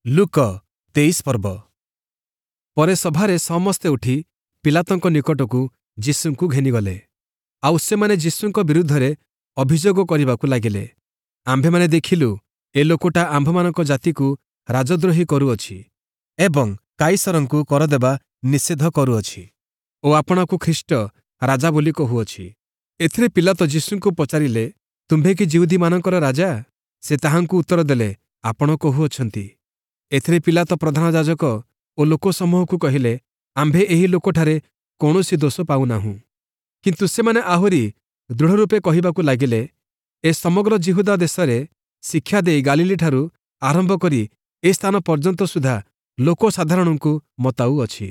ଲୂକ 23 ପର୍ବ। ପରେ ସଭାରେ ସମସ୍ତେ ଉଠି ପିଲାତଙ୍କ ନିକଟକୁ ଯୀଶୁଙ୍କୁ ଘେନିଗଲେ। ଆଉ ସେମାନେ ଯୀଶୁଙ୍କ ବିରୁଦ୍ଧରେ ଅଭିଯୋଗ କରିବାକୁ ଲାଗିଲେ, ଆମ୍ଭେମାନେ ଦେଖିଲୁ, ଏ ଲୋକଟା ଆମ୍ଭମାନଙ୍କ ଜାତିକୁ ରାଜଦ୍ରୋହୀ କରୁଅଛି ଏବଂ କାଇସରଙ୍କୁ କର ଦେବା ନିଷେଧ କରୁଅଛି ଓ ଆପଣାକୁ ଖ୍ରୀଷ୍ଟ ରାଜା ବୋଲି କହୁଅଛି। ଏଥିରେ ପିଲାତ ଯୀଶୁଙ୍କୁ ପଚାରିଲେ, ତୁମ୍ଭେ କି ଯିହୁଦୀମାନଙ୍କର ରାଜା? ସେ ତାହାଙ୍କୁ ଉତ୍ତର ଦେଲେ, ଆପଣ କହୁଅଛନ୍ତି। ଏଥିରେ ପିଲାତ ପ୍ରଧାନ ଯାଜକ ଓ ଲୋକସମୂହକୁ କହିଲେ, ଆମ୍ଭେ ଏହି ଲୋକଠାରେ କୌଣସି ଦୋଷ ପାଉନାହୁଁ। କିନ୍ତୁ ସେମାନେ ଆହୁରି ଦୃଢ଼ରୂପେ କହିବାକୁ ଲାଗିଲେ, ଏ ସମଗ୍ର ଯିହୁଦା ଦେଶରେ ଶିକ୍ଷା ଦେଇ ଗାଲିଲୀଠାରୁ ଆରମ୍ଭ କରି ଏ ସ୍ଥାନ ପର୍ଯ୍ୟନ୍ତ ସୁଦ୍ଧା ଲୋକସାଧାରଣଙ୍କୁ ମତାଉଅଛି।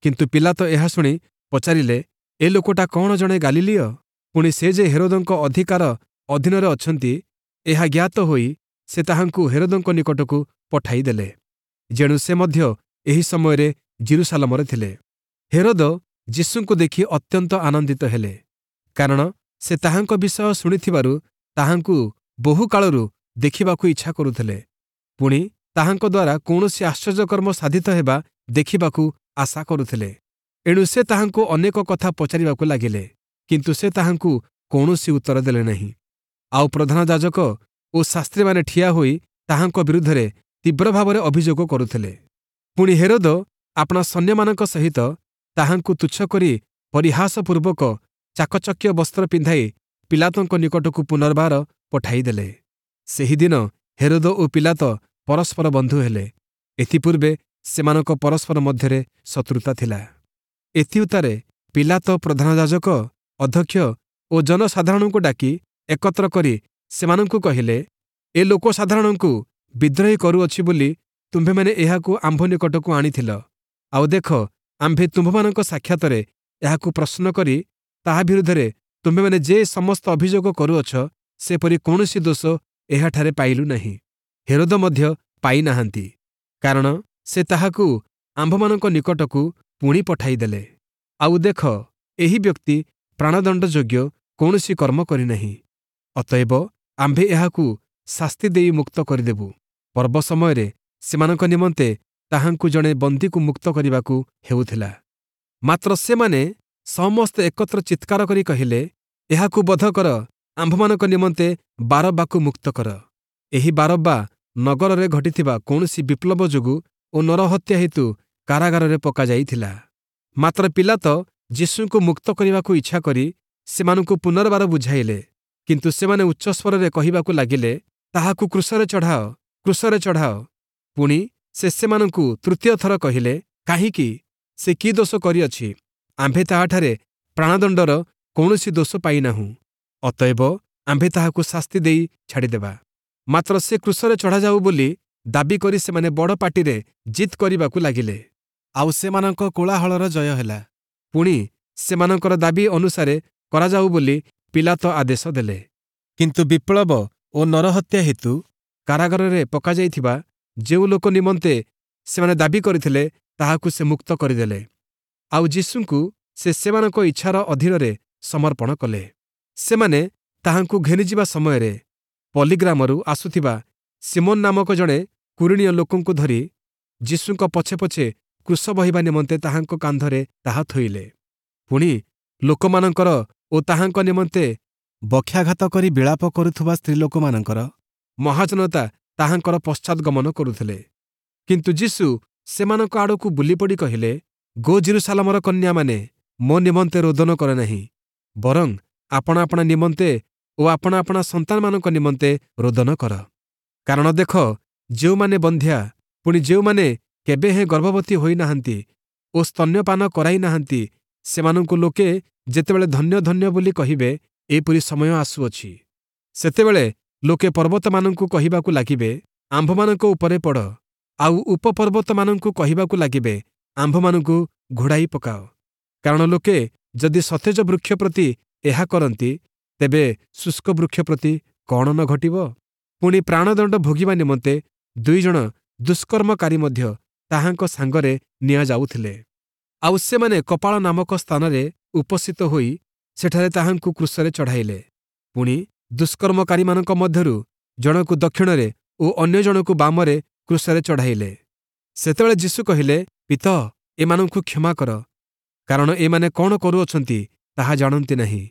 କିନ୍ତୁ ପିଲାତ ଏହା ଶୁଣି ପଚାରିଲେ, ଏ ଲୋକଟା କଅଣ ଜଣେ ଗାଲିଲୀୟ? ପୁଣି ସେ ଯେ ହେରୋଦଙ୍କ ଅଧିକାର ଅଧୀନରେ ଅଛନ୍ତି, ଏହା ଜ୍ଞାତ ହୋଇ ସେ ତାହାଙ୍କୁ ହେରୋଦଙ୍କ ନିକଟକୁ ପଠାଇଦେଲେ। ଯେଣୁ ସେ ମଧ୍ୟ ଏହି ସମୟରେ ଯିରୂଶାଲମରେ ଥିଲେ। ହେରୋଦ ଯୀଶୁଙ୍କୁ ଦେଖି ଅତ୍ୟନ୍ତ ଆନନ୍ଦିତ ହେଲେ, କାରଣ ସେ ତାହାଙ୍କ ବିଷୟ ଶୁଣିଥିବାରୁ ତାହାଙ୍କୁ ବହୁକାଳରୁ ଦେଖିବାକୁ ଇଚ୍ଛା କରୁଥିଲେ। ପୁଣି ତାହାଙ୍କ ଦ୍ୱାରା କୌଣସି ଆଶ୍ଚର୍ଯ୍ୟକର୍ମ ସାଧିତ ହେବା ଦେଖିବାକୁ ଆଶା କରୁଥିଲେ। ଏଣୁ ସେ ତାହାଙ୍କୁ ଅନେକ କଥା ପଚାରିବାକୁ ଲାଗିଲେ, କିନ୍ତୁ ସେ ତାହାଙ୍କୁ କୌଣସି ଉତ୍ତର ଦେଲେ ନାହିଁ। ଆଉ ପ୍ରଧାନ ଯାଜକ ଓ ଶାସ୍ତ୍ରୀମାନେ ଠିଆ ହୋଇ ତାହାଙ୍କ ବିରୁଦ୍ଧରେ ତୀବ୍ର ଭାବରେ ଅଭିଯୋଗ କରୁଥିଲେ। ପୁଣି ହେରୋଦ ଆପଣା ସୈନ୍ୟମାନଙ୍କ ସହିତ ତାହାଙ୍କୁ ତୁଚ୍ଛ କରି ପରିହାସପୂର୍ବକ ଚାକଚକ୍ୟ ବସ୍ତ୍ର ପିନ୍ଧାଇ ପିଲାତଙ୍କ ନିକଟକୁ ପୁନର୍ବାର ପଠାଇଦେଲେ। ସେହିଦିନ ହେରୋଦ ଓ ପିଲାତ ପରସ୍ପର ବନ୍ଧୁ ହେଲେ। ଏଥିପୂର୍ବେ ସେମାନଙ୍କ ପରସ୍ପର ମଧ୍ୟରେ ଶତ୍ରୁତା ଥିଲା। ଏଥିଉତ୍ତାରେ ପିଲାତ ପ୍ରଧାନ ଯାଜକ, ଅଧ୍ୟକ୍ଷ ଓ ଜନସାଧାରଣଙ୍କୁ ଡାକି ଏକତ୍ର କରି ସେମାନଙ୍କୁ କହିଲେ, ଏ ଲୋକସାଧାରଣଙ୍କୁ ବିଦ୍ରୋହୀ କରୁଅଛି ବୋଲି ତୁମ୍ଭେମାନେ ଏହାକୁ ଆମ୍ଭ ନିକଟକୁ ଆଣିଥିଲ। ଆଉ ଦେଖ, ଆମ୍ଭେ ତୁମ୍ଭମାନଙ୍କ ସାକ୍ଷାତରେ ଏହାକୁ ପ୍ରଶ୍ନ କରି ତାହା ବିରୁଦ୍ଧରେ ତୁମ୍ଭେମାନେ ଯେ ସମସ୍ତ ଅଭିଯୋଗ କରୁଅଛ, ସେପରି କୌଣସି ଦୋଷ ଏହାଠାରେ ପାଇଲୁ ନାହିଁ। ହେରୋଦ ମଧ୍ୟ ପାଇନାହାନ୍ତି, କାରଣ ସେ ତାହାକୁ ଆମ୍ଭମାନଙ୍କ ନିକଟକୁ ପୁଣି ପଠାଇଦେଲେ। ଆଉ ଦେଖ, ଏହି ବ୍ୟକ୍ତି ପ୍ରାଣଦଣ୍ଡ ଯୋଗ୍ୟ କୌଣସି କର୍ମ କରିନାହିଁ। ଅତଏବ ଆମ୍ଭେ ଏହାକୁ ଶାସ୍ତି ଦେଇ ମୁକ୍ତ କରିଦେବୁ। ପର୍ବ ସମୟରେ ସେମାନଙ୍କ ନିମନ୍ତେ ତାହାଙ୍କୁ ଜଣେ ବନ୍ଦୀକୁ ମୁକ୍ତ କରିବାକୁ ହେଉଥିଲା। ମାତ୍ର ସେମାନେ ସମସ୍ତେ ଏକତ୍ର ଚିତ୍କାର କରି କହିଲେ, ଏହାକୁ ବଧ କର, ଆମ୍ଭମାନଙ୍କ ନିମନ୍ତେ ବାରବ୍ବାକୁ ମୁକ୍ତ କର। ଏହି ବାରବ୍ବା ନଗରରେ ଘଟିଥିବା କୌଣସି ବିପ୍ଳବ ଯୋଗୁଁ ଓ ନରହତ୍ୟା ହେତୁ କାରାଗାରରେ ପକାଯାଇଥିଲା। ମାତ୍ର ପିଲାତ ଯୀଶୁଙ୍କୁ ମୁକ୍ତ କରିବାକୁ ଇଚ୍ଛା କରି ସେମାନଙ୍କୁ ପୁନର୍ବାର ବୁଝାଇଲେ। କିନ୍ତୁ ସେମାନେ ଉଚ୍ଚସ୍ୱରରେ କହିବାକୁ ଲାଗିଲେ, ତାହାକୁ କ୍ରୁଶରେ ଚଢ଼ାଅ, କ୍ରୁଶରେ ଚଢ଼ାଅ। ପୁଣି ସେ ସେମାନଙ୍କୁ ତୃତୀୟ ଥର କହିଲେ, କାହିଁକି? ସେ କି ଦୋଷ କରିଅଛି? ଆମ୍ଭେ ତାହାଠାରେ ପ୍ରାଣଦଣ୍ଡର କୌଣସି ଦୋଷ ପାଇନାହୁଁ। ଅତଏବ ଆମ୍ଭେ ତାହାକୁ ଶାସ୍ତି ଦେଇ ଛାଡ଼ିଦେବା। ମାତ୍ର ସେ କ୍ରୁଶରେ ଚଢ଼ାଯାଉ ବୋଲି ଦାବି କରି ସେମାନେ ବଡ଼ ପାଟିରେ ଜିଦ୍ କରିବାକୁ ଲାଗିଲେ। ଆଉ ସେମାନଙ୍କ କୋଳାହଳର ଜୟ ହେଲା। ପୁଣି ସେମାନଙ୍କର ଦାବି ଅନୁସାରେ କରାଯାଉ ବୋଲି ପିଲାତ ଆଦେଶ ଦେଲେ। କିନ୍ତୁ ବିପ୍ଳବ ଓ ନରହତ୍ୟା ହେତୁ କାରାଗାରରେ ପକାଯାଇଥିବା ଯେଉଁ ଲୋକ ନିମନ୍ତେ ସେମାନେ ଦାବି କରିଥିଲେ, ତାହାକୁ ସେ ମୁକ୍ତ କରିଦେଲେ। ଆଉ ଯୀଶୁଙ୍କୁ ସେ ସେମାନଙ୍କ ଇଚ୍ଛାର ଅଧୀନରେ ସମର୍ପଣ କଲେ। ସେମାନେ ତାହାଙ୍କୁ ଘେନିଯିବା ସମୟରେ ପଲିଗ୍ରାମରୁ ଆସୁଥିବା ସିମୋନ ନାମକ ଜଣେ କୁରୀଣୀୟ ଲୋକଙ୍କୁ ଧରି ଯୀଶୁଙ୍କ ପଛେ ପଛେ କ୍ରୁଶ ବହିବା ନିମନ୍ତେ ତାହାଙ୍କ କାନ୍ଧରେ ତାହା ଥୋଇଲେ। ପୁଣି ଲୋକମାନଙ୍କର ଓ ତାହାଙ୍କ ନିମନ୍ତେ ବକ୍ଷାଘାତ କରି ବିଳାପ କରୁଥିବା ସ୍ତ୍ରୀଲୋକମାନଙ୍କର ମହାଜନତା ତାହାଙ୍କର ପଶ୍ଚାଦଗମନ କରୁଥିଲେ। କିନ୍ତୁ ଯୀଶୁ ସେମାନଙ୍କ ଆଡ଼କୁ ବୁଲିପଡ଼ି କହିଲେ, ଗୋ ଯିରୂଶାଲମର କନ୍ୟାମାନେ, ମୋ ନିମନ୍ତେ ରୋଦନ କର ନାହିଁ, ବରଂ ଆପଣା ଆପଣା ନିମନ୍ତେ ଓ ଆପଣା ଆପଣା ସନ୍ତାନମାନଙ୍କ ନିମନ୍ତେ ରୋଦନ କର। କାରଣ ଦେଖ, ଯେଉଁମାନେ ବନ୍ଧ୍ୟା, ପୁଣି ଯେଉଁମାନେ କେବେ ହେଁ ଗର୍ଭବତୀ ହୋଇନାହାନ୍ତି ଓ ସ୍ତନ୍ୟପାନ କରାଇ ନାହାନ୍ତି, ସେମାନଙ୍କୁ ଲୋକେ ଯେତେବେଳେ ଧନ୍ୟ ଧନ୍ୟ ବୋଲି କହିବେ, ଏପରି ସମୟ ଆସୁଅଛି। ସେତେବେଳେ ଲୋକେ ପର୍ବତମାନଙ୍କୁ କହିବାକୁ ଲାଗିବେ, ଆମ୍ଭମାନଙ୍କ ଉପରେ ପଡ଼, ଆଉ ଉପପର୍ବତମାନଙ୍କୁ କହିବାକୁ ଲାଗିବେ, ଆମ୍ଭମାନଙ୍କୁ ଘୋଡ଼ାଇ ପକାଅ। କାରଣ ଲୋକେ ଯଦି ସତେଜ ବୃକ୍ଷ ପ୍ରତି ଏହା କରନ୍ତି, ତେବେ ଶୁଷ୍କ ବୃକ୍ଷ ପ୍ରତି କଣ ନ ଘଟିବ? ପୁଣି ପ୍ରାଣଦଣ୍ଡ ଭୋଗିବା ନିମନ୍ତେ ଦୁଇଜଣ ଦୁଷ୍କର୍ମକାରୀ ମଧ୍ୟ ତାହାଙ୍କ ସାଙ୍ଗରେ ନିଆଯାଉଥିଲେ। ଆଉ ସେମାନେ କପାଳ ନାମକ ସ୍ଥାନରେ ଉପସ୍ଥିତ ହୋଇ ସେଠାରେ ତାହାଙ୍କୁ କ୍ରୁଶରେ ଚଢ଼ାଇଲେ। ପୁଣି ଦୁଷ୍କର୍ମକାରୀମାନଙ୍କ ମଧ୍ୟରୁ ଜଣକୁ ଦକ୍ଷିଣରେ ଓ ଅନ୍ୟ ଜଣକୁ ବାମରେ କ୍ରୁଶରେ ଚଢ଼ାଇଲେ। ସେତେବେଳେ ଯୀଶୁ କହିଲେ, ପିତ, ଏମାନଙ୍କୁ କ୍ଷମା କର, କାରଣ ଏମାନେ କ'ଣ କରୁଅଛନ୍ତି ତାହା ଜାଣନ୍ତି ନାହିଁ।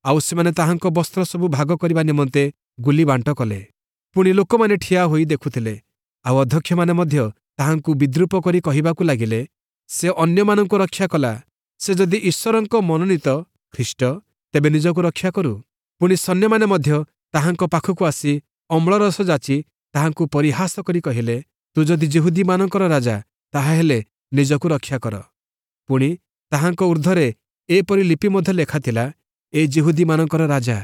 ଆଉ ସେମାନେ ତାହାଙ୍କ ବସ୍ତ୍ର ସବୁ ଭାଗ କରିବା ନିମନ୍ତେ ଗୁଲି ବାଣ୍ଟ କଲେ। ପୁଣି ଲୋକମାନେ ଠିଆ ହୋଇ ଦେଖୁଥିଲେ। ଆଉ ଅଧ୍ୟକ୍ଷମାନେ ମଧ୍ୟ ତାହାଙ୍କୁ ବିଦ୍ରୂପ କରି କହିବାକୁ ଲାଗିଲେ, ସେ ଅନ୍ୟମାନଙ୍କୁ ରକ୍ଷା କଲା, ସେ ଯଦି ଈଶ୍ୱରଙ୍କ ମନୋନୀତ ଖ୍ରୀଷ୍ଟ, ତେବେ ନିଜକୁ ରକ୍ଷା କରୁ। ପୁଣି ସୈନ୍ୟମାନେ ମଧ୍ୟ ତାହାଙ୍କ ପାଖକୁ ଆସି ଅମ୍ଳରସ ଯାଚି ତାହାଙ୍କୁ ପରିହାସ କରି କହିଲେ, ତୁ ଯଦି ଯିହୁଦୀମାନଙ୍କର ରାଜା, ତାହାହେଲେ ନିଜକୁ ରକ୍ଷା କର। ପୁଣି ତାହାଙ୍କ ଊର୍ଦ୍ଧ୍ୱରେ ଏପରି ଲିପି ମଧ୍ୟ ଲେଖାଥିଲା, ଏ ଯିହୁଦୀମାନଙ୍କର ରାଜା।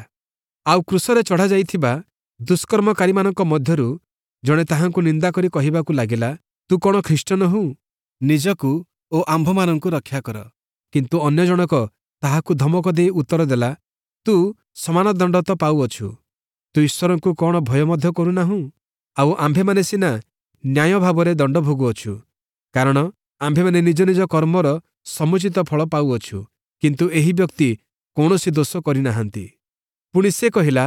ଆଉ କ୍ରୁଶରେ ଚଢ଼ାଯାଇଥିବା ଦୁଷ୍କର୍ମକାରୀମାନଙ୍କ ମଧ୍ୟରୁ ଜଣେ ତାହାଙ୍କୁ ନିନ୍ଦା କରି କହିବାକୁ ଲାଗିଲା, ତୁ କ'ଣ ଖ୍ରୀଷ୍ଟ ନୋହୁଁ? ନିଜକୁ ଓ ଆମ୍ଭମାନଙ୍କୁ ରକ୍ଷା କର। କିନ୍ତୁ ଅନ୍ୟ ଜଣକ ତାହାକୁ ଧମକ ଦେଇ ଉତ୍ତର ଦେଲା, ତୁ ସମାନ ଦଣ୍ଡ ତ ପାଉଅଛୁ। ତୁ ଈଶ୍ୱରଙ୍କୁ କ'ଣ ଭୟ ମଧ୍ୟ କରୁନାହୁଁ? ଆଉ ଆମ୍ଭେମାନେ ସିନା ନ୍ୟାୟ ଭାବରେ ଦଣ୍ଡ ଭୋଗୁଅଛୁ, କାରଣ ଆମ୍ଭେମାନେ ନିଜ ନିଜ କର୍ମର ସମୁଚିତ ଫଳ ପାଉଅଛୁ, କିନ୍ତୁ ଏହି ବ୍ୟକ୍ତି କୌଣସି ଦୋଷ କରିନାହାନ୍ତି। ପୁଣି ସେ କହିଲା,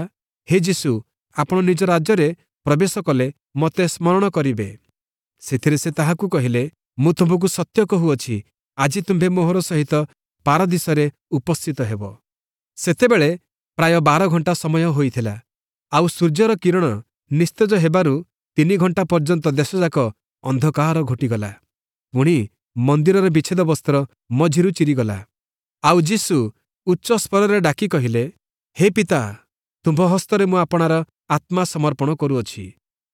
ହେ ଯୀଶୁ, ଆପଣ ନିଜ ରାଜ୍ୟରେ ପ୍ରବେଶ କଲେ ମୋତେ ସ୍ମରଣ କରିବେ। ସେଥିରେ ସେ ତାହାକୁ କହିଲେ, ମୁଁ ତୁମ୍ଭକୁ ସତ୍ୟ କହୁଅଛି, ଆଜି ତୁମ୍ଭେ ମୋହର ସହିତ ପାରଦୀଶରେ ଉପସ୍ଥିତ ହେବ। ସେତେବେଳେ ପ୍ରାୟ 12 ଘଣ୍ଟା ସମୟ ହୋଇଥିଲା। ଆଉ ସୂର୍ଯ୍ୟର କିରଣ ନିସ୍ତେଜ ହେବାରୁ 3 ଘଣ୍ଟା ପର୍ଯ୍ୟନ୍ତ ଦେଶଯାକ ଅନ୍ଧକାର ଘୋଟିଗଲା। ପୁଣି ମନ୍ଦିରର ବିଚ୍ଛେଦ ବସ୍ତ୍ର ମଝିରୁ ଚିରିଗଲା। ଆଉ ଯୀଶୁ ଉଚ୍ଚ ସ୍ୱରରେ ଡାକି କହିଲେ, ହେ ପିତା, ତୁମ୍ଭ ହସ୍ତରେ ମୁଁ ଆପଣାର ଆତ୍ମା ସମର୍ପଣ କରୁଅଛି।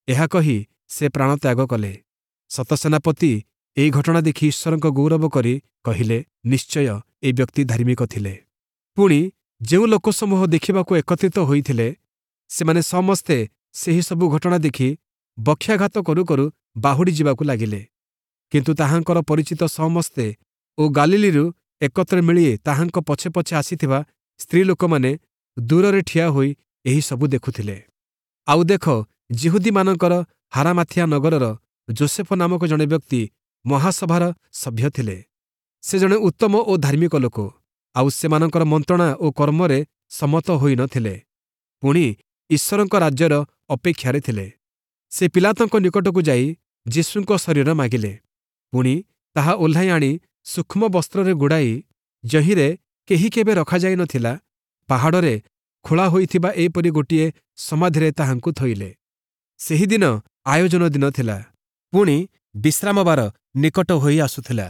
ଏହା କହି ସେ ପ୍ରାଣତ୍ୟାଗ କଲେ। ଶତସେନାପତି ଏହି ଘଟଣା ଦେଖି ଈଶ୍ୱରଙ୍କ ଗୌରବ କରି କହିଲେ, ନିଶ୍ଚୟ ଏ ବ୍ୟକ୍ତି ଧାର୍ମିକ ଥିଲେ। ପୁଣି ଯେଉଁ ଲୋକସମୂହ ଦେଖିବାକୁ ଏକତ୍ରିତ ହୋଇଥିଲେ, ସେମାନେ ସମସ୍ତେ ସେହି ସବୁ ଘଟଣା ଦେଖି ବକ୍ଷାଘାତ କରୁ କରୁ ବାହୁଡ଼ି ଯିବାକୁ ଲାଗିଲେ। କିନ୍ତୁ ତାହାଙ୍କର ପରିଚିତ ସମସ୍ତେ ଓ ଗାଲିଲିରୁ ଏକତ୍ର ମିଳି ତାହାଙ୍କ ପଛେ ପଛେ ଆସିଥିବା ସ୍ତ୍ରୀ ଲୋକମାନେ ଦୂରରେ ଠିଆ ହୋଇ ଏହି ସବୁ ଦେଖୁଥିଲେ। ଆଉ ଦେଖ, ଯିହୁଦୀମାନଙ୍କର ହାରାମାଥିଆ ନଗରର ଜୋସେଫ ନାମକ ଜଣେ ବ୍ୟକ୍ତି ମହାସଭାର ସଭ୍ୟ ଥିଲେ। ସେ ଜଣେ ଉତ୍ତମ ଓ ଧାର୍ମିକ ଲୋକ, ଆଉ ସେମାନଙ୍କର ମନ୍ତ୍ରଣା ଓ କର୍ମରେ ସମ୍ମତ ହୋଇନଥିଲେ। ପୁଣି ଈଶ୍ୱରଙ୍କ ରାଜ୍ୟର ଅପେକ୍ଷାରେ ଥିଲେ। ସେ ପିଲାତଙ୍କ ନିକଟକୁ ଯାଇ ଯୀଶୁଙ୍କ ଶରୀର ମାଗିଲେ। ପୁଣି ତାହା ଓହ୍ଲାଇ ଆଣି ସୂକ୍ଷ୍ମ ବସ୍ତ୍ରରେ ଗୁଡ଼ାଇ, ଯହିଁରେ କେହି କେବେ ରଖାଯାଇନଥିଲା, ପାହାଡ଼ରେ ଖୋଳା ହୋଇଥିବା ଏପରି ଗୋଟିଏ ସମାଧିରେ ତାହାଙ୍କୁ ଥୋଇଲେ। ସେହିଦିନ ଆୟୋଜନ ଦିନ ଥିଲା, ପୁଣି ବିଶ୍ରାମବାର ନିକଟ ହୋଇ ଆସୁଥିଲା।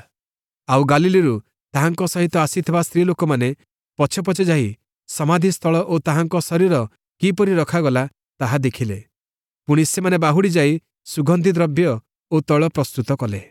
ଆଉ ଗାଲିଲିରୁ ତାହାଙ୍କ ସହିତ ଆସିଥିବା ସ୍ତ୍ରୀ ଲୋକମାନେ ପଛେ ପଛେ ଯାଇ ସମାଧିସ୍ଥଳ ଓ ତାହାଙ୍କ ଶରୀର କିପରି ରଖାଗଲା ତାହା ଦେଖିଲେ। ପୁଣି ସେମାନେ ବାହୁଡ଼ି ଯାଇ ସୁଗନ୍ଧି ଦ୍ରବ୍ୟ ଓ ତୈଳ ପ୍ରସ୍ତୁତ କଲେ।